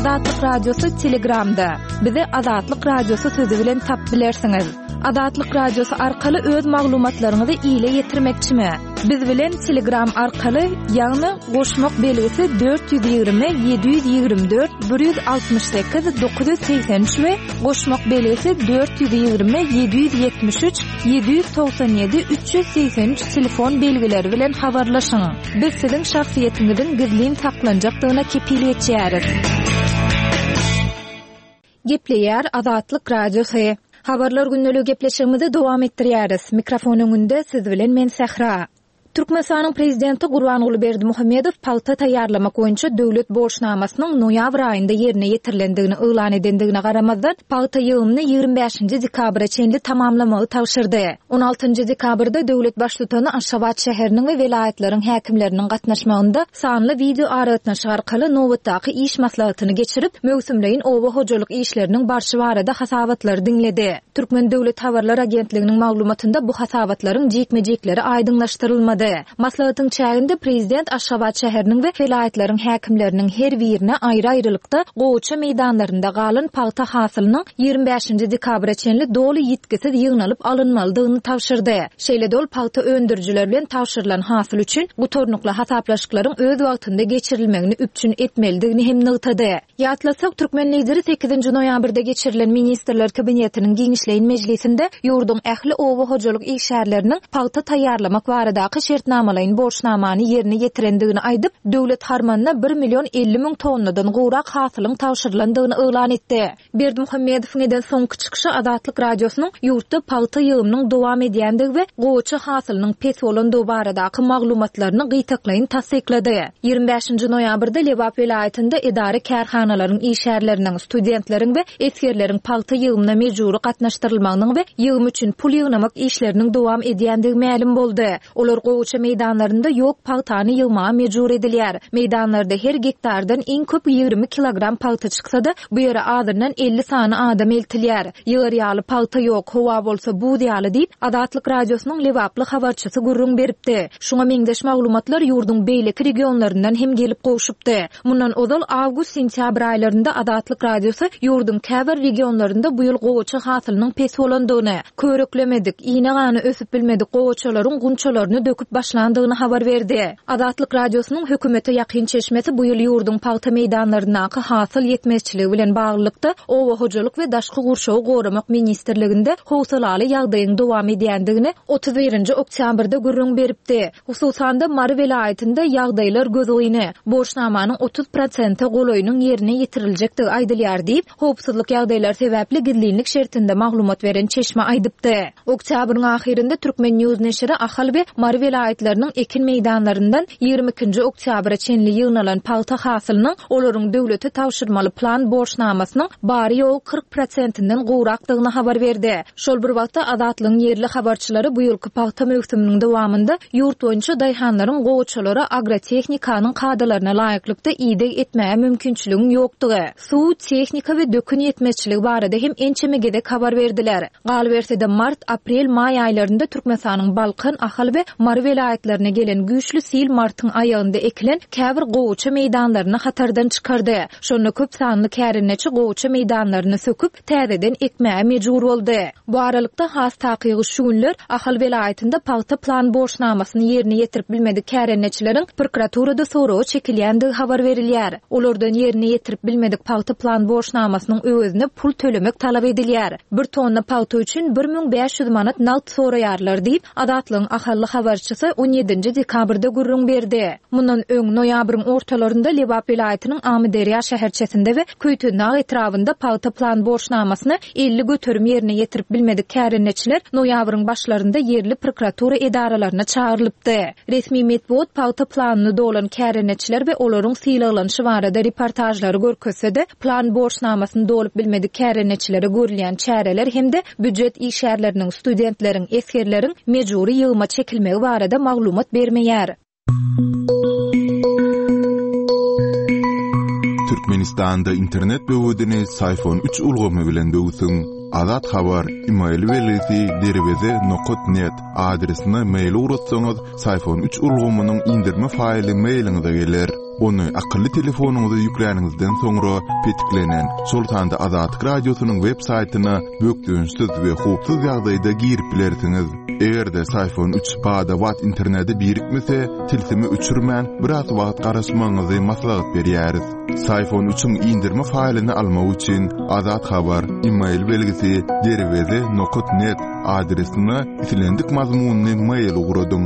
Azatlyk Radiosy Telegramda. Bizi Azatlyk Radiosy sözi bilen tap bilersiňiz. Azatlyk Radiosy arkaly öz maglumatlaryňyzy ile ýetirmekçimi? Biz bilen Telegram arkaly, ýagny goşmak belgisi 420 724 168 983 we goşmak belgisi 420 773 797 383 telefon belgileri bilen habarlaşyň. Biz siziň şahsyýetiňiziň gizlin saklanjakdygyna kepil geçýäris. Gepleýär Azatlyk Radiosy. Habarlar gündeligi gepleşigimizi dowam etdirýäris. Mikrofon öňünde siz bilen men Sähra. Türkmenistanyň Prezidenti Gurbanguly Berdimuhamedow pagta taýýarlamak boýunça döwlet borçnamasynyň noýabr aýynda ýerine ýetirilendigini yglan edendigine garamazdan, pagta ýygymyny 25-nji dekabra çenli tamamlamagy tabşyrdy. On altynjy dekabrda döwlet Baştutany Aşgabat şäheriniň we welaýatlaryň häkimleriniň gatnaşmagynda sanly wideoaragatnaşyk arkaly nobatdaky iş maslahatyny geçirip, möwsümleýin oba hojalyk işleriniň barşy barada hasabatlary diňledi. Türkmen döwlet habarlar agentliginiň maglumatynda bu hasabatlaryň jikme-jikleri aýdyňlaşdyrylmady. Maslahatyň çäginde prezident Aşgabat şäheriniň we welaýatlaryň häkimleriniň her birine aýry-aýrylykda gowaça meýdanlarynda galan pagta hasylynyň 25-nji dekabra çenli doly ýitgisiz ýygnalyp alynmalydygyny tabşyrdy. Şeýle-de ol pagta öndürijiler bilen tabşyrylan hasyl üçin gutarnykly hasaplaşyklaryň öz wagtynda geçirilmegini üpjün etmelidigini hem nygtady. Ýatlatsak, türkmen Lideri sekizinji noýabrda geçirilen Ministrler Kabinetiniň giňişleýin mejlisinde ýurduň ähli oba hojalyk işgärleriniň pagta taýýarlamak baradaky şertnamalaýyn borçnamany ýerine ýetirendigini aýdyp, döwlet harmanyna bir million 50 müň tonnadan gowrak hasylyň tabşyrylandygyny yglan etdi. Berdimuhamedowyň eden soňky çykyşy Azatlyk Radiosynyň ýurtda pagta ýygymynyň dowam edýändigi we gowaça hasylynyň pes bolandygy baradaky maglumatlaryny gytaklaýyn tassyklady. 25-nji noýabrda Lebap welaýatynda edara-kärhanalaryň işgärleriniň, studentleriň we esgerleriň pagta ýygymyna mejbury gatnaşdyrylmagynyň we ýygym üçin pul ýygnamak işleriniň dowam edýändigi mälim boldy. Olar gowaça meýdanlarynda ýok pagtany ýygmaga mejbur edilýär. Meýdanlarda her gektardan iň köp 20 kilogram pagta çyksa-da, bu ýere azyndan 50 sany adam eltilýär. Ýygar ýaly pagta ýok, howa bolsa buz ýaly diýip, Azatlyk Radiosynyň lebaply habarçysy gürrüň beripdi. Şuňa meňzeş maglumatlar ýurduň beýleki regionlaryndan hem gelip gowşupdy. Mundan ozal awgust-sentýabr aýlarynda Azatlyk Radiosy ýurduň käbir regionlarynda bu ýyl gowaça hasylynyň pes bolandygyny, körüklemedik, ine-gana ösüp bilmedik gowaçalaryň gunçalaryny döküp başlandygyny habar berdi. Azatlyk Radiosynyň hökümete ýakyn çeşmesi bu ýyl ýurduň pagta meýdanlaryndaky hasyl ýetmezçiligi bilen baglylykda Oba hojalyk we daşky gurşawy goramak ministrliginde howsalaly ýagdaýyň dowam edýändigini 31-nji oktýabrda gürrüň beripdi. Hususan-da, Mary welaýatynda ýagdaýlar gözgyny, borçnamanyň 30 prosente golaýynyň ýerine ýetiriljekdigi aýdylýar diýip, howpsuzlyk ýagdaýlary sebäpli gizlinlik şertinde maglumat beren çeşme aýdypdy. Oktýabryň ahyrynda Turkmen. News neşiri Ahal we Mary welaýatlarynyň ekin meýdanlaryndan 22-nji oktýabra çenli ýygnalan pagta hasylynyň olaryň döwlete tabşyrmaly plan borçnamasynyň bary-ýogy 40 prosentinden gowrakdygyny habar berdi. Şol bir wagtda, Azatlygyň ýerli habarçylary bu ýylky pagta möwsüminiň dowamynda ýurt boýunça daýhanlaryň gowaçalara agrotehnikanyň kadalaryna laýyklykda ideg etmäge mümkinçiligiň ýokdugy, suw, tehnika we dökün ýetmezçiligi barada hem ençeme gezek habar berdiler. Galyberse-de, mart, aprel, maý aýlarynda Türkmenistanyň Balkan, Ahal we Mary welaýatlaryna gelen güýçli sil martyň aýagynda ekilen käbir gowaça meýdanlaryny hatardan çykardy. Şonda köp sanly kärendeçi gowaça meýdanlaryny söküp, täzeden ekmäge mejbur boldy. Bu aralykda, has takygy şu günler Ahal welaýatynda pagta plan borçnamasyny ýerine ýetirip bilmedik kärendeçileriň prokuraturada soraga çekilýändigi habar berilýär. Olardan ýerine ýetirip bilmedik pagta plan borçnamasynyň öwezine pul tölemek talap edilýär. Bir tonna pagta üçin 1500 manat nagt soraýarlar diýip, Azatlygyň ahally habarçysy on ýedinji dekabrda gürrüň berdi. Mundan öň, noýabryň ortalarynda Lebap welaýatynyň Amyderýa şäherçesinde we Köýtendag etrabynda pagta plan borçnamasyny 50% ýerine ýetirip bilmedik kärendeçiler noýabryň başlarynda ýerli prokuratura edaralaryna çagyrylypdy. Resmi metbugat pagta planyny dolan kärendeçiler we olaryň sylaglanyşy barada reportažlary görkezse-de, plan borçnamasyny dolup bilmedik kärendeçilere görülýän çäreler hem-de býujet işgärleriniň, studentleriň, esgerleriň mejbury ýygyma çekilmegi barada maglumat bermeýär. Türkmenistanda internet böwedini Syfon üç ulgamy bilen döwsüň. Azat Habar, email belgisi derweze nokat net adresine mail ugratsaňyz, Syfon üç ulgamynyň indirme faýly mailiňize geler. Ony akylly telefonyňyza ýükläniňizden soňra petiklenen, şol sanda Azatlyk Radiosynyň web saýtyna bökdençsiz we howpsuz ýagdaýda girip bilersiňiz. Eger-de Syfon 3 bada-bat internete birikmese, tilsimi öçürmän, biraz wagt garaşmagyňyzy maslahat berýäris. Syfon 3-iň indirme faýlyny almak üçin Azat Habar, e-mail belgisi derweze nokat net adresine islendik mazmunly mail ugradyň.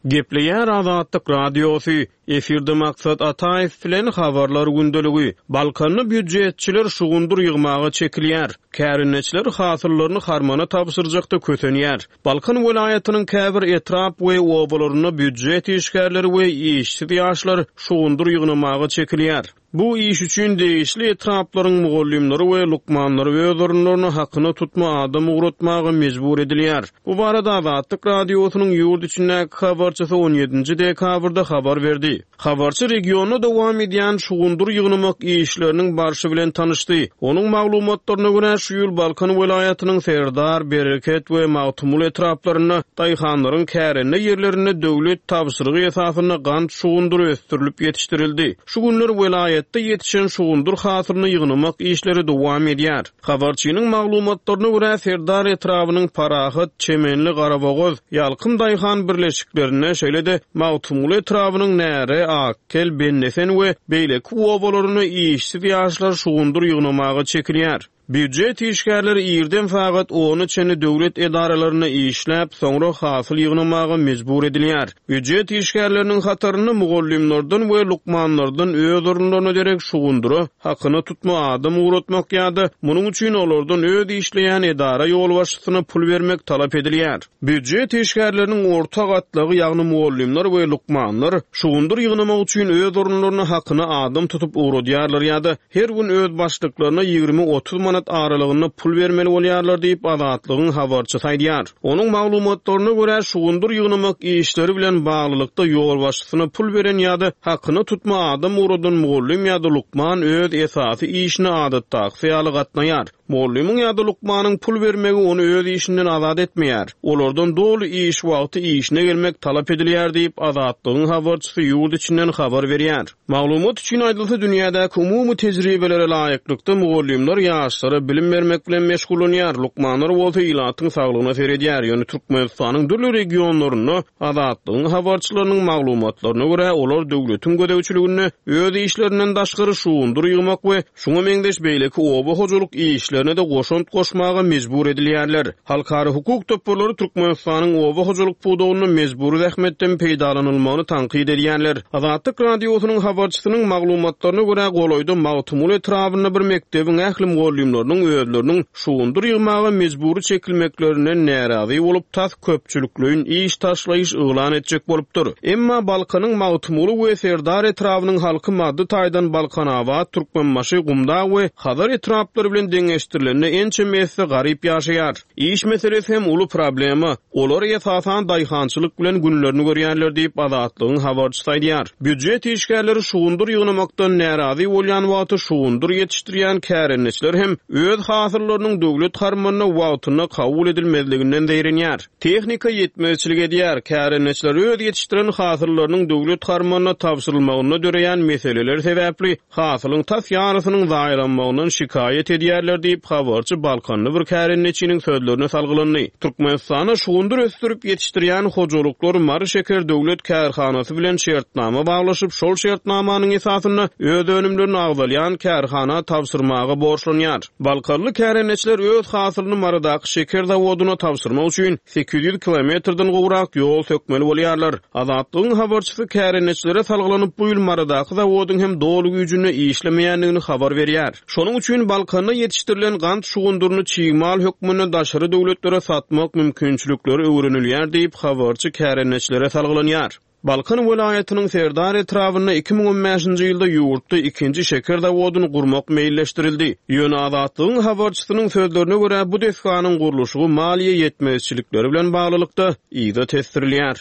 Gepleýär Azatlyk Radiosy, Efirde Maksat Ataýew bilen Habarlar gündeligi. Balkanda býujetçiler şugundyr ýygmaga çekilýär. Kärendeçiler hasyllaryny harmana tabşyrjakda kösenýär. Balkan welaýatynyň käbir etrap we obalarynda býujet işgärleri we işsiz ýaşlar şugundyr ýygnamaga çekilýär. Bu iş üçin degişli etraplaryň mugallymlary we lukmanlary öz orunlaryna hakyna tutma adam ugratmaga mejbur edilýär. Bu barada Azatlyk Radiosynyň ýurt içindäki habarçysy on ýedinji dekabrda habar berdi. Habarçy regionda dowam edýän şugundyr ýygnamak işleriniň barşy bilen tanyşdy. Onuň maglumatlaryna görä, şu ýyl Balkan welaýatynyň Serdar, Bereket we Magtymguly etraplarynda daýhanlaryň kärende ýerlerinde döwlet tabşyrygy esasynda gant şugundyry ösdürilip ýetişdirildi. Şu günler welaýatda ýetişen şugundyr hasylyny ýygnamak işleri dowam edýär. Habarçynyň maglumatlaryna görä, Serdar etrabynyň Parahat, Çemenli, Garabogaz, Ýalkym daýhan birleşiklerinde, şeýle-de Magtymguly etrabynyň Näre, Akkel, Bennesen we beýleki obalarynda işsiz ýaşlar şugundyr ýygnamaga çekilýär. Býujet işgärleri irden sagat ona çenli döwlet edaralarynda işläp, soňra hasyl ýygnamaga mejbur edilýär. Býujet işgärleriniň hatarynda mugallymlardan we lukmanlardan öz orunlaryna derek şugundyra hakyna tutma adam ugratmak ýa-da munuň üçin olardan öz işleýän edara ýolbaşçysyna pul bermek talap edilýär. Býujet işgärleriniň orta gatlagy, ýagny mugallymlar we lukmanlar şugundyr ýygnamak üçin öz orunlaryna hakyna adam tutup ugradýarlar ýa-da Her gün öz başlyklaryna 20-30 manat aralygynda pul bermeli bolýarlar diýip, Azatlygyň habarçysy aýdýar. Onuň maglumatlaryna görä, şugundyr ýygnamak işleri bilen baglylykda ýolbaşçysyna pul beren ýa-da hakyna tutma adam ugradan mugallym ýa-da lukman öz esasy işine adatdakysy ýaly gatnaýar. Mugallymyň ýa-da lukmanyň pul bermegi ony öz işinden azat etmeýär. Olardan doly iş wagty işine gelmek talap edilýär diýip, Azatlygyň habarçysy ýurt içinden habar berýär. Maglumat üçin aýdylsa, dünýädäki umumy tejribelere laýyklykda, mugallymlar ýaşlara bilim bermek bilen meşgullanýar, lukmanlar bolsa ilatyň saglygyna seredýär. Ýöne Türkmenistanyň dürli regionlarynda, Azatlygyň habarçylarynyň maglumatlaryna görä, olar döwletiň gözegçiliginde öz işlerinden daşgary şugundyr ýygmak we Şuňa meňzeş beýleki oba hojalyk işlerine-de goşant goşmaga mejbur edilýärler. Halkara hukuk toparlary Türkmenistanyň oba hojalyk pudagynda mejbury zähmetden peýdalanylmagyny tankyt edýärler. Azatlyk Radiosynyň habarçysynyň maglumatlaryna görä, golaýda Magtymguly etrabynda bir mekdebiň ähli mugallymlarynyň özleriniň Şugundyr ýygmaga mejbury çekilmeklerinden närazy bolup, tas köpçülikleýin iş taşlaýyş yglan etjek bolupdyr. Emma Balkanyň Magtymguly we Serdar etrabynyň halky maddy taýdan Balkanabat, Türkmenbaşy, Gumdag we Hazar etraplary bilen deňeşdirilende ençeme esse garyp ýaşaýar. Iş meselesi hem uly problema. Olar esasan daýhançylyk bilen günlerini görýärler diýip, Azatlygyň habarçysy aýdýar. Býujet işgärleri şugundyr ýygnamakdan närazy bolýan wagty şugundyr ýetişdirýän kärendeçiler hem öz hasyllarynyň döwlet harmanyna wagtynda kabul edilmezliginden zeýrenýär. Tehnika ýetmezçilik edýär. Kärendeçiler öz ýetişdiren hasyllarynyň döwlet harmanyna tabşyrylmagynda döreýän meseleler sebäpli hasylyň tas ýarysynyň zaýalanmagyndan şikaýat edýärler diýip, habarçy balkanly bir kärendeçiniň sözlerine salgylandy. Türkmenistanda şugundyr ösdürip ýetişdirýän hojalyklar Mary şeker döwlet kärhanasy bilen şertnama baglaşyp, şol şertnamanyň esasynda öz önümlerini agzalýan kärhana tabşyrmaga borçlanýar. Balkanly kärendeçiler öz hasylyny Marydaky şeker zawodyna tabşyrmak üçin 800 kilometrden gowrak ýol sökmeli bolýarlar. Azatlygyň habarçysy kärendeçilere salgylanyp, bu ýyl Marydaky zawodyň hem doly güýjünde işlemeýändigini habar berýär. Şonuň üçin Balkanda ýetişdirilen gant şugundyryny çig mal hökmünde daşary döwletlere satmak mümkinçilikleri öwrenilýär diýip, habarçy kärendeçilere salgylanýar. Balkan welaýatynyň Serdar etrabynda 2015-nji ýylda ýurtda ikinji şeker zawodyny gurmak meýilleşdirildi. Ýöne Azatlygyň habarçysynyň sözlerine görä, bu desganyň gurluşygy maliýe ýetmezçilikleri bilen baglylykda yza tesdirilýär.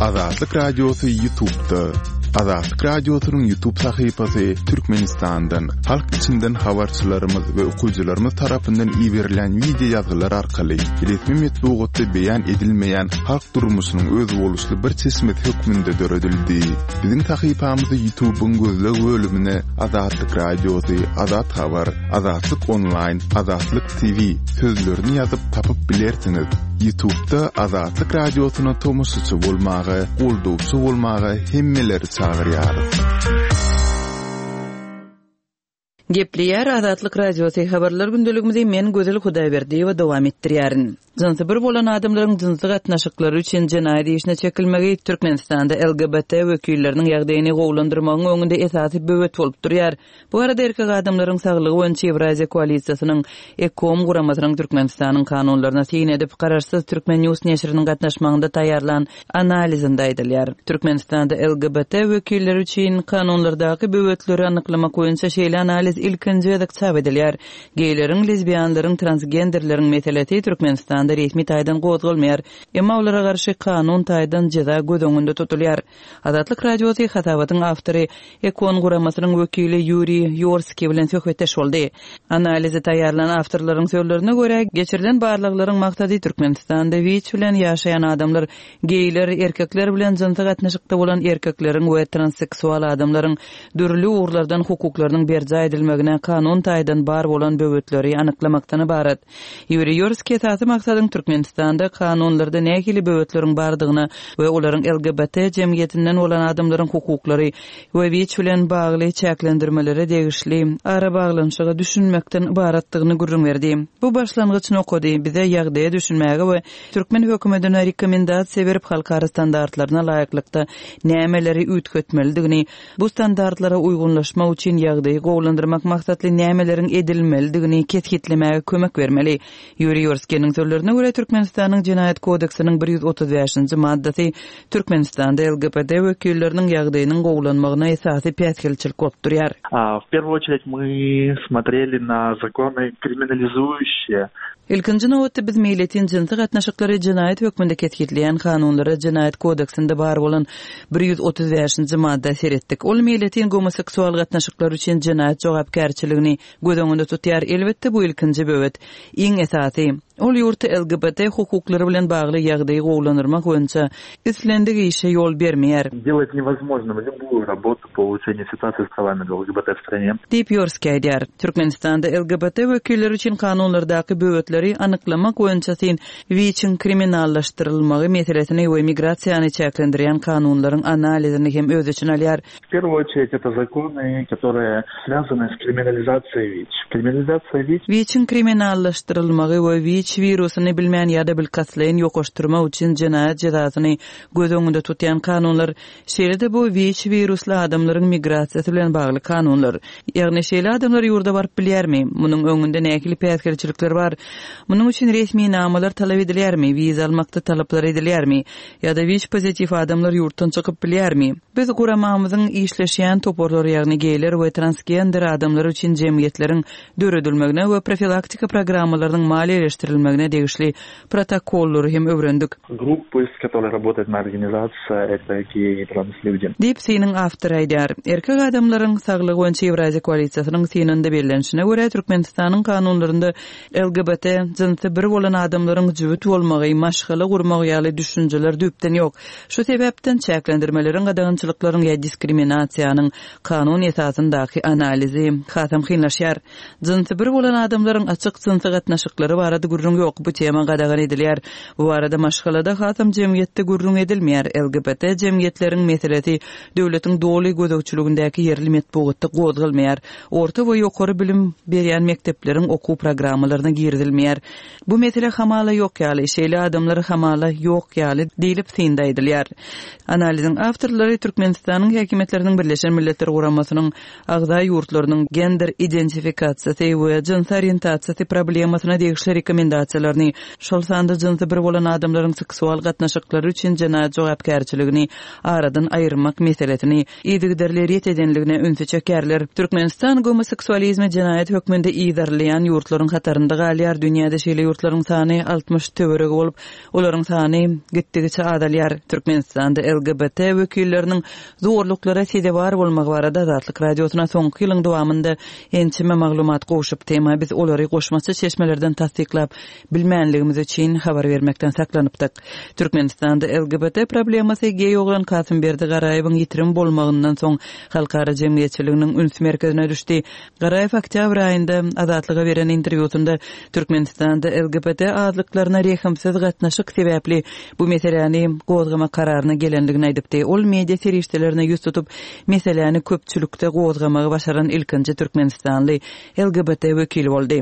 Azatlyk Radiosy YouTube'da. Azatlyk Radiosynyň YouTube sahypasy Türkmenistandan, halk içinden habarçylarymyz we okyjylarymyz tarapyndan iberilýän wideo ýazgylar arkaly resmi metbugatda beýan edilmeýän halk durmuşynyň özboluşly bir çeşmesi hökmünde döredildi. Biziň sahypamyzy YouTube-yň gözleg bölümine Azatlyk Radiosy, Azat Habar, Azatlyk Onlaýn, Azatlyk TV sözlerini ýazyp tapyp bilersiňiz. Ýutubda Azatlyk Radiosyna tomaşaçy bolmaga, goldawçy bolmaga hemmeleri çagyrýarys. Gepleýär Azatlyk Radiosy, Habarlar gündeligimizi men Gözel Hudaýberdiýewa dowam etdirýärin. Jynsy bir bolan adamlaryň jynsy gatnaşyklary üçin jenaýat işine çekilmegi Türkmenistanda LGBT wekilleriniň ýagdaýyny gowulandyrmagyň öňünde esasy böwet bolup durýar. Bu barada Erkek adamlaryň saglygy boýunça Ýewraziýa koalisiýasynyň EKOM guramasynyň Türkmenistanyň kanunlaryna syn edip, garaşsyz Turkmen. News neşiriniň gatnaşmagynda taýýarlan analizinde aýdylýar. Türkmenistanda LGBT wekilleri üçin kanunlardaky böwetleri anyklamak boýunça şeýle analiz ilkinji gezek çap edilýär. Geýleriň, lezbianlaryň, transgenderleriň meselesi Türkmenistanda resmi taýdan gozgalmaýar. Emma olara garşy kanun taýdan jeza göz öňünde tutulýar. Azatlyk Radiosy hasabatyň awtory, EKON guramasynyň wekili Ýuriý Ýorskiý bilen söhbetdeş boldy. Analizi taýýarlan awtorlaryň sözlerine görä, geçirilen barlaglaryň maksady Türkmenistanda WIÇ bilen ýaşaýan adamlar, geýler, erkekler bilen jynsy gatnaşykda bolan erkekleriň we transseksual adamlaryň dürli ugurlardan hukuklarynyň berjaý edilmegine kanun taýdan bar bolan böwetleri anyklamakdan ybarat. Ýuriý Ýorskiý esasy maksadyň Türkmenistanda kanunlarda nähili böwetleriň bardygyna we olaryň LGBT jemgyýetinden bolan adamlaryň hukuklary we WIÇ bilen bagly çäklendirmelere degişli arabaglanyşyga düşünmekden ybaratdygyny gürrüň berdi. Bu başlangyç nokady bize ýagdaýa düşünmäge we türkmen hökümetine rekomendasiýa berip halkara standartlaryna laýyklykda nämeleri üýtgetmelidigini, bu standartlara uýgunlaşmak üçin ýagdaýy gowulandyrmak maksatly nämeleriň edilmelidigini kesgitlemäge kömek bermeli. Ýuriý Ýorskiniň sözlerine görä, Türkmenistanyň Jenaýat kodeksiniň 135-nji maddasy Türkmenistanda LGBT wekilleriniň ýagdaýynyň gowulanmagyna esasy päsgelçilik bolup durýar. W pierwую очередь мы смотрели na zakony kriminalizuющие Ilkinji nobatda biz meýletin jynsy gatnaşyklary jenaýat hökmünde kesgitleýän kanunlara Jenaýat kodeksinde bar bolan 135-nji madda seretdik. Ol meýletin gomoseksual gatnaşyklar üçin jenaýat jogapkärçiligini göz öňünde tutýar. Elbetde, bu ilkinji böwet. Iň esasy, ol ýurtda LGBT hukuklary bilen bagly ýagdaýy gowulandyrmak boýunça islendik işe ýol bermeýär. Делает невозможным любую работу по улучшению ситуации с правами LGBT в стране. Diýip, Ýorskiý aýdýar. Türkmenistanda LGBT wekilleri üçin kanunlardaky böwetleri anyklamak boýunça syn WIÇ-iň kriminallaşdyrylmagy meselesini we migrasiýany çäklendirýän kanunlaryň analizini hem öz içine alýar. W pierwую очередь это законы, которые связаны с kriminalizasiýay WIÇ. Kriminalizasiýa WIÇ. WIÇ-iň kriminallaşdyrylmagy we WIÇ wirusyny bilmän ýa-da bilkastlaýyn ýokaşdyrmak üçin jenaýat jezasyny göz öňünde tutýan kanunlar Şeýle-de bu WIÇ wirusly adamlaryň migrasiýasy bilen bagly kanunlar. Ýagny şeýle adamlar ýurda baryp bilýärmi? Munuň öňünde nähili päsgelçilikler bar? Munuň üçin resminamalar talap edilýärmi? Wiza almakda talaplar edilýärmi? Ýa-da WIÇ pozitiw adamlar ýurtdan çykyp bilýärmi? Biz guramamyzyň işleşýän toparlary ýagny geýler we transgender adamlar üçin jemgyýetleriň döredilmegine we profilaktika programmalarynyň maliýeleşdirilmegine degişli protokollary hem öwrendik. Gruppy, s kotoryý rabotaet moýa organizasiýa, eto geý i trans lýudi. Diýip, synyň awtory aýdýar. Erkek adamlaryň saglygy boýunça Ýewraziýa koalisiýasynyň synynda bellenişine görä, Türkmenistanyň kanunlarynda LGBT, jynsy bir bolan adamlaryň jübüt bolmagy, maşgala gurmagy ýaly düşünjeler düýpden ýok. Şu sebäpden çäklendirmeleriň, gadagançylyklaryň ýa diskriminasiýanyň kanun esasyndaky analizi hasam kynlaşýar. Jynsy bir bolan adamlaryň açyk jynsy gatnaşyklary barada gürrüň ýok, bu tema gadagan edilýär. Bu barada maşgalada, hasam jemgyýetde gürrüň edilmeýär. LGBT jemgyýetleriň meselesi döwletiň doly gözegçiligindäki ýerli metbugatda gozgalmaýar. Orta we ýokary bilim berýän mekdepleriň okuw programmalaryna girizilmeýär. Bu mesele hamala ýok ýaly, şeýle adamlar hamala ýok ýaly diýlip synda aýdylýar. Analiziň awtorlary Türkmenistanyň häkimiýetleriniň Birleşen Milletler Guramasynyň agza ýurtlarynyň gender identifikasiýasy we jynsy orientasiýasy problemasyna degişli rekomendasiýalaryny. rekomendasiýalaryny, şol sanda jynsy bir bolan adamlaryň seksual gatnaşyklary üçin jenaýat jogapkärçiligini aradan aýyrmak meselesini yzygiderli ret edenligine ünsi çekýärler. Türkmenistan gomoseksualizmi jenaýat hökmünde yzarlaýan ýurtlaryň hatarynda galýar, dünýäde şeýle ýurtlaryň sany 60 töweregi bolup, olaryň sany gitdigiçe azalýar. Türkmenistanda LGBT wekilleriniň zorluklara sezewar bolmagy barada Azatlyk Radiosyna soňky ýylyň dowamynda ençeme maglumat gowşupdy, emma biz olary goşmaça çeşmelerden tassyklap bilmänligimiz üçin habar bermekden saklanypdyk. Türkmenistanda LGBT problemasy geý oglan Kasymberdi Garaýewiň ýitirim bolmagyndan soň halkara jemgyýetçiliginiň üns merkezine düşdi. Garaýew oktýabr aýynda Azatlyga beren interwýusynda Türkmenistanda LGBT azlyklaryna rehimsiz gatnaşyk sebäpli bu meseläni gozgamak kararyna gelendigini aýdypdy. Ol media serişdelerine ýüz tutup, meseläni köpçülikde gozgamagy başaran ilkinji türkmenistanly LGBT wekili boldy.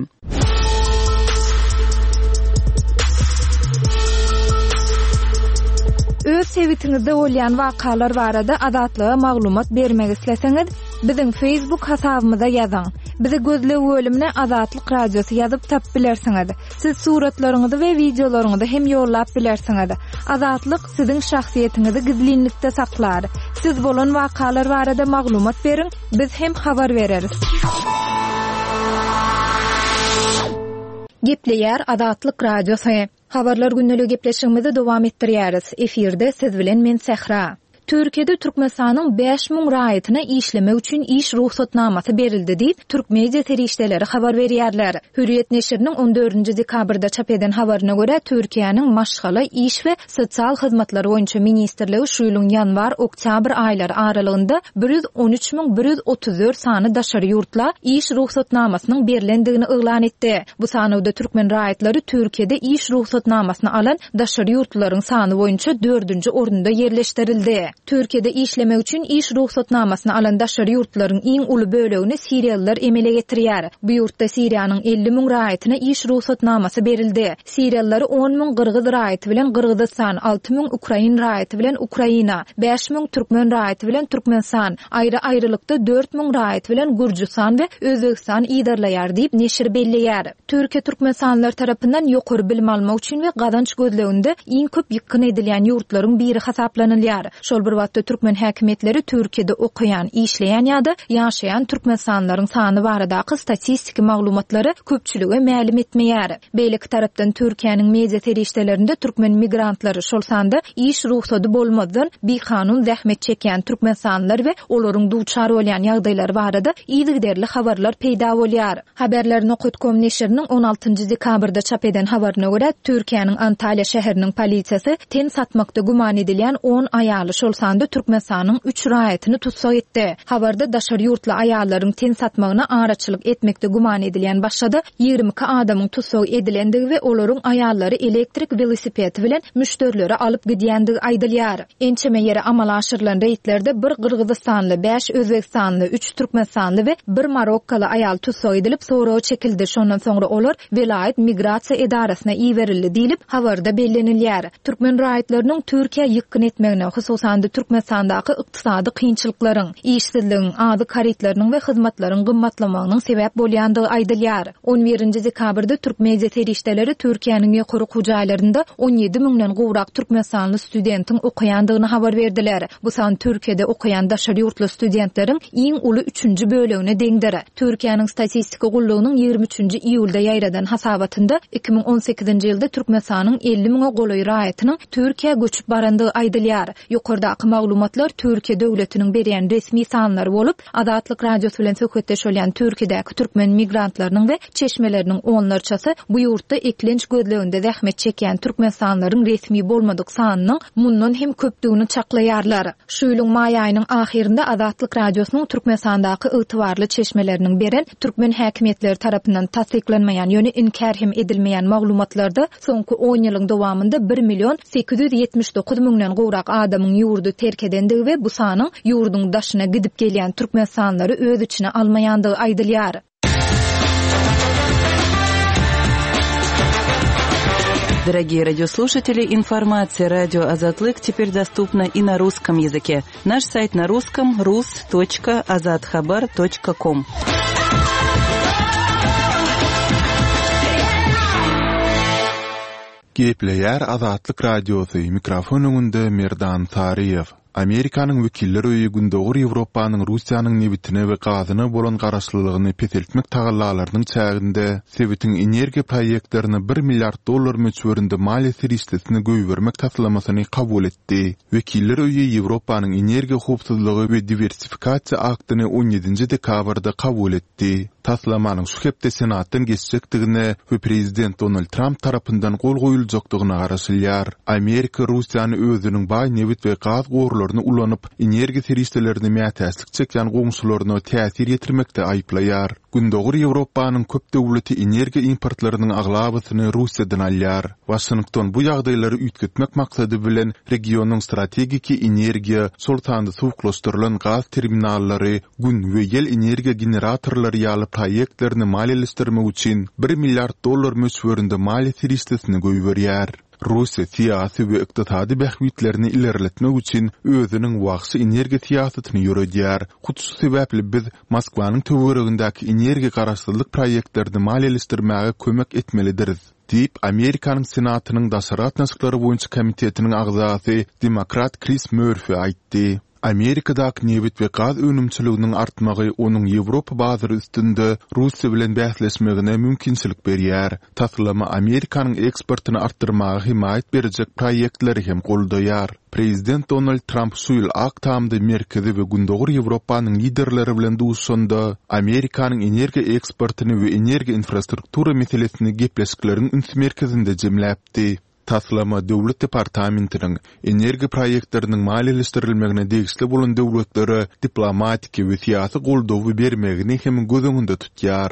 Öz sebitiňizde bolýan wakalar barada Azatlyga maglumat bermek isleseňiz, biziň Facebook hasabymyza ýazyň. Bizi gözleg bölümine Azatlyk Radiosy ýazyp tapyp bilersiňiz. Siz suratlaryňyzy we wideolaryňyzy hem ýollap bilersiňiz. Azatlyk siziň şahsyýetiňizi gizlinlikde saklar. Siz bolan wakalar barada maglumat beriň, biz hem habar bereris. Gepleýär Azatlyk Radiosy. Habarlar gündeligi gepleşigimizi dowam etdirýäris. Efirde siz bilen men Sähra. Türkiýede Türkmenistanyň 5000 raýatyna işlemek üçin iş rugsatnamasy berildi diýip, türk media serişdeleri habar berýärler. Hürriýet neşiriniň on dördünji dekabrda çap eden habaryna görä, Türkiýäniň Maşgala, iş we sosial hyzmatlar boýunça ministrligi şu ýylyň ýanwar-oktýabr aýlary aralygynda 113 134 sany daşary ýurtla iş rugsatnamasynyň berlendigini yglan etdi. Bu sanawda türkmen raýatlary Türkiýede iş rugsatnamasyny alan daşary ýurtlularyň sany boýunça dördünji orunda ýerleşdirildi. Türkiýede işlemek üçin iş rugsatnamasyny alan daşary ýurtlularyň iň uly bölegini siriýalylar emele getirýär. Bu ýurtda Siriýanyň 50 müň raýatyna iş rugsatnamasy berildi. Siriýalylary on müň gyrgyz raýaty bilen Gyrgyzystan, alty müň ukrain raýaty bilen Ukraina, bäş müň türkmen raýaty bilen Türkmenistan, aýry-aýrylykda dört müň raýaty bilen Gürjüstan we Özbegistan yzarlaýar diýip, neşir belleýär. Türkiýe türkmenistanlylar tarapyndan ýokary bilim almak üçin we gazanç gözleginde iň köp ýykgyn edilýän ýurtlaryň biri hasaplanylýar. Şol bir wagtda türkmen häkimiýetleri Türkiýede okaýan, işleýän ýa-da ýaşaýan türkmenistanlylaryň sany baradaky statistiki maglumatlary köpçülige mälim etmeýär. Beýleki tarapdan Türkiýäniň media serişdelerinde türkmen migrantlary, şol sanda iş rugsady bolmazdan bikanun zähmet çekýän türkmenistanlylar we olaryň duçar bolýan ýagdaýlary barada yzygiderli habarlar peýda bolýar. Haberler nokat kom neşiriniň on altynjy dekabrda çap eden habaryna görä, Türkiýäniň Antalýa şäheriniň polisiýasy ten satmakda güman edilýän on aýaly, şol sanda Türkmenistanyň üç raýatyny tussag etdi. Habarda daşary ýurtly aýallaryň ten satmagyna araçylyk etmekde güman edilýän başga-da 22 adamyň tussag edilendigi we olaryň aýallary elektrik welosipedi bilen müşderilere alyp gidýändigi aýdylýar. Ençeme ýere amala aşyrylan reýdlerde bir gyrgyzystanly, bäş özbegistanly, üç türkmenistanly we bir marokkaly aýal tussag edilip, soraga çekildi, şondan soňra olar welaýat migrasiýa edarasyna iberildi diýlip, habarda bellenilýär. Türkmen raýatlarynyň Türkiýä ýykgyn etmegine, hususan-da Türkmenistandaky ykdysady kynçylyklaryň, işsizligiň, azyk harytlarynyň we hyzmatlaryň gymmatlamagynyň sebäp bolýandygy aýdylýar. On birinji dekabrda türk media serişdeleri Türkiýäniň ýokary okuw jaýlarynda on ýedi müňden gowrak türkmenistanly studentiň okaýandygyny habar berdiler. Bu san Türkiýede okaýan daşary ýurtly studentleriň iň uly üçünji bölegine deňdir. Türkiýäniň statistika gullugynyň ýigrimi üçünji iýulda ýaýradan hasabatynda 2018-nji ýylda Türkmenistanyň 50 müňe golaý raýatynyň Türkiýä göçüp barandygy aýdylýar. Ýokardaky maglumatlar Türkiýe döwletiniň berýän resmi sanlary bolup, Azatlyk Radiosy bilen söhbetdeş bolýan Türkiýedäki türkmen migrantlarynyň we çeşmeleriniň onlarçasy bu ýurtda eklenç gözleginde zähmet çekýän türkmenistanlylaryň resmi bolmadyk sanynyň mundan hem köpdügini çaklaýarlar. Şu ýylyň maý aýynyň ahyrynda Azatlyk Radiosynyň Türkmenistandaky ygtybarly çeşmeleriniň beren türkmen häkimiýetleri tarapyndan tassyklanmaýan, ýöne inkär hem edilmeýän maglumatlarda soňky on ýylyň dowamynda bir million 879 müňden gowrak adamyň ýurdy terk edendigi we bu sanyň ýurduň daşyna gidip gelýän türkmenistanlylary öz içine almaýandygy aýdylýar. Дорогие радиослушатели, информация радио Азатлык теперь доступна и на русском языке. Наш сайт на русском rus.azathabar.com. Gepleýär Azatlyk Radiosy, mikrofon öňünde Merdan Saryýew. Amerikanyň Wekiller öýi Gündogar Ýewropanyň Russiýanyň nebitine we gazyna bolan garaşlylygyny peseltmek tagallalarynyň çäginde sebitiň energiýa proýektlerine bir milliard dollar möçberinde maliýe serişdesini goýbermek taslamasyny kabul etdi. Wekiller öýi Ýewropanyň energiýa howpsuzlygy we diwersifikasiýa aktyny on ýedinji dekabrda kabul etdi. Taslamanyň şu hepde Senatdan geçjekdigine we prezident Donald Tramp tarapyndan gol goýuljakdygyna garaşylýar. Amerika Russiýany özüniň baý nebit we gaz gorlaryny ulanyp, energiýa serişdelerine mätäçlik çekýän goňşularyna täsir ýetirmekde aýyplaýar. Gündogar Ýewropanyň köp döwleti energiýa importlarynyň aglabasyny Russiýadan alýar. Waşington bu ýagdaýlary üýtgetmek maksady bilen regionyň strategiki energiýa, şol sanda suwuklaşdyrylan gaz terminallary, Gün we ýel energiýa generatorlary ýaly proýektlerini maliýeleşdirmek üçin bir milliard dollar möçberinde maliýe serişdesini goýberýär. Russiýa syýasy we ykdysady bähbitlerini ilerletmek üçin özüniň wagşy energiýa syýasatyny ýöredýär. Hut şu sebäpli biz Moskwanyň töweregindäki energiýa garaşsyzlyk proýektlerini maliýeleşdirmäge kömek etmelidiris, diýip, Amerikanyň Senatynyň daşary gatnaşyklary boýunça komitetiniň agzasy demokrat Kris Mörfi aýtdy. Amerikadaky nebit we gaz önümçiliginiň artmagy onuň Ýewropa bazary üstünde Russiýa bilen bäsleşmegine mümkinçilik berýär. Taslama Amerikanyň eksportyny artdyrmaga hemaýat berjek proýektleri hem goldaýar. Prezident Donald Tramp şu ýyl Ak Tamda Merkezi we Gündogar Ýewropanyň liderleri bilen duşuşanda, Amerikanyň energiýa eksportyny we energiýa infrastruktura meselesini gepleşikleriň üns merkezinde jemläpdi. Taslama Döwlet departamentiniň energiýa proýektleriniň maliýeleşdirilmegine degişli bolan döwletlere diplomatiki we syýasy goldawy bermegini hem göz öňünde tutýar.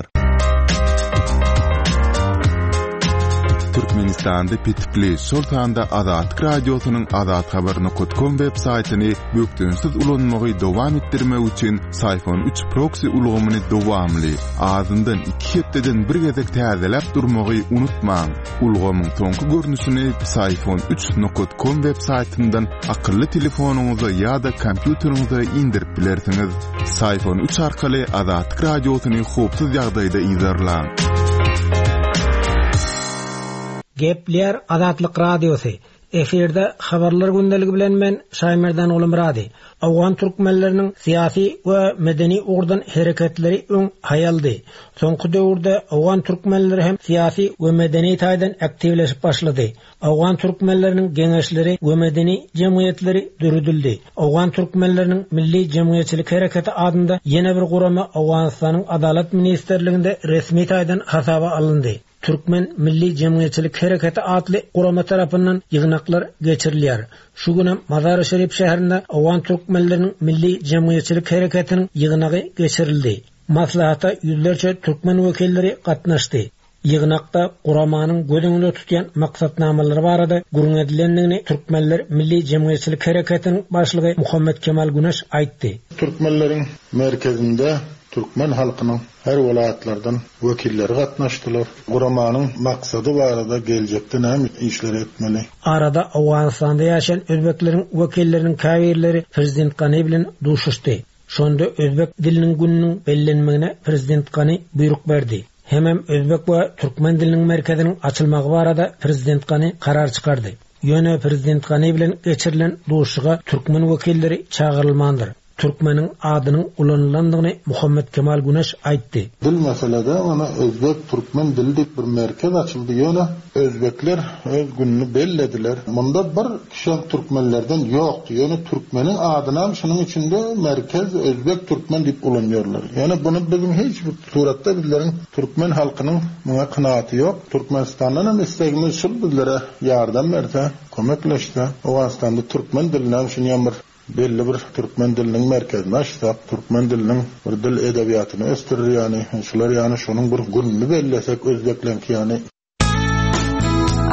Türkmenistanda petikli, şol sanda Azatlyk Radiosynyň azathabar nokat kom web saýtyny bökdençsiz ulanmagy dowam etdirmek üçin Syfon üç proksi ulgamyny dowamly, azyndan iki hepdeden bir gezek täzeläp durmagy unutmaň. Ulgamyň soňky görnüşini Psiphon üç nokat kom web saýtyndan akylly telefonyňyza ýa-da kompýuteriňize indirip bilersiňiz. Psiphon üç arkaly Azatlyk Radiosyny howpsuz ýagdaýda yzarlaň. Gepleýär Azatlyk Radiosy. Efirde Habarlar gündeligi bilen men Şaýmerdan Gulumyrady. Owgan türkmenleriniň syýasy we medeni ugurdan hereketleri öň haýaldy. Soňky döwürde owgan türkmenleri hem syýasy we medeni taýdan aktiwleşip başlady. Owgan türkmenleriniň geňeşleri we medeni jemgyýetleri döredildi. Owgan türkmenleriniň milli jemgyýetçilik hereketi adynda ýene bir gurama Owganystanyň Adalat ministrliginde resmi taýdan hasaba alyndy. Türkmen milli jemgyýetçilik hereketi atly gurama tarapyndan ýygnaklar geçirilýär. Şu günem Mazary-Şerif şäherinde owgan türkmenleriniň milli jemgyýetçilik hereketiniň ýygnagy geçirildi. Maslahata ýüzlerçe türkmen wekilleri gatnaşdy. Ýygnakda guramanyň göz öňünde tutýan maksatnamalary barada gürrüň edilendigini Türkmenler milli jemgyýetçilik hereketiniň başlygy Muhammet Kemal Güneş aýtdy. Türkmenleriň merkezinde türkmen halkynyň Her welaýatlardan wekilleri gatnaşdylar. Guramanyň maksady barada geljekde näme işleri etmeli? Arada Owganystanda ýaşaýan özbekleriň wekilleriniň käbirleri prezident Gani bilen duşuşdy. Şonda özbek diliniň gününiň bellenmegine prezident Gani buýruk berdi. Hemem özbek we türkmen diliniň merkeziniň açylmagy barada prezident Gani karar çykardy. Ýöne prezident Gani bilen geçirilen duşuşyga türkmen wekilleri çagyrylmandyr. Türkmeniň adynyň ulanylandygyny Muhammet Kemal Güneş aýtdy. Dil meselede ony özbek türkmen dili diýip bir merkez açyldy ýöne özbekler öz gününi bellediler. Munda bir kişem türkmenlerden ýokdy ýöne türkmeniň adynam şunuň içinde merkez özbek türkmen diýip ulanýarlar. Ýöne buny biziň hiç bir suratda bizleriň türkmen halkynyň muňa kynaaty ýok. Türkmenistandan hem islegimiz şul bizlere ýardam berse kömekleşse Owganystanda türkmen dilinem şunýam bir Belli bir türkmen diliniň merkezini açsak, türkmen diliniň bir dil edebiýatyny ösdürer ýaly, şular ýaly şonuň bir gününi bellesek özbekleňki ýaly.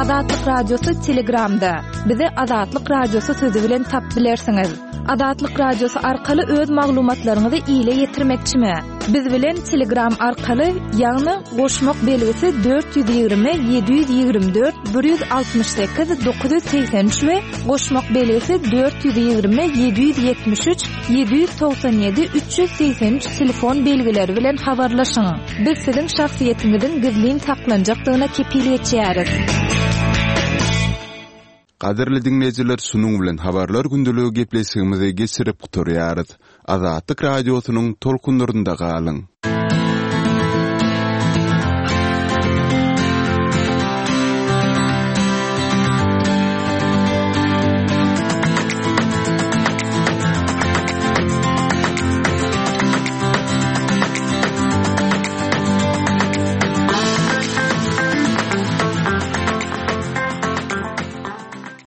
Azatlyk Radiosy Telegramda. Bizi Azatlyk Radiosy sözi bilen tapyp bilersiňiz. Azatlyk Radiosy arkaly öz maglumatlaryňyzy ile ýetirmekçimi? Biz bilen Telegram arkaly, ýagny goşmak belgisi 420 724 168 983 we goşmak belgisi 420 773 797 383 telefon belgileri bilen habarlaşyň. Biz siziň şahsyýetiňiziň gizlin saklanjakdygyna kepil geçýäris. Gadyrly diňleýjiler şunuň bilen Habarlar gündeligi gepleşigimizi geçirip gutarýarys. Azatlyk Radiosynyň tolkunlarynda galyň.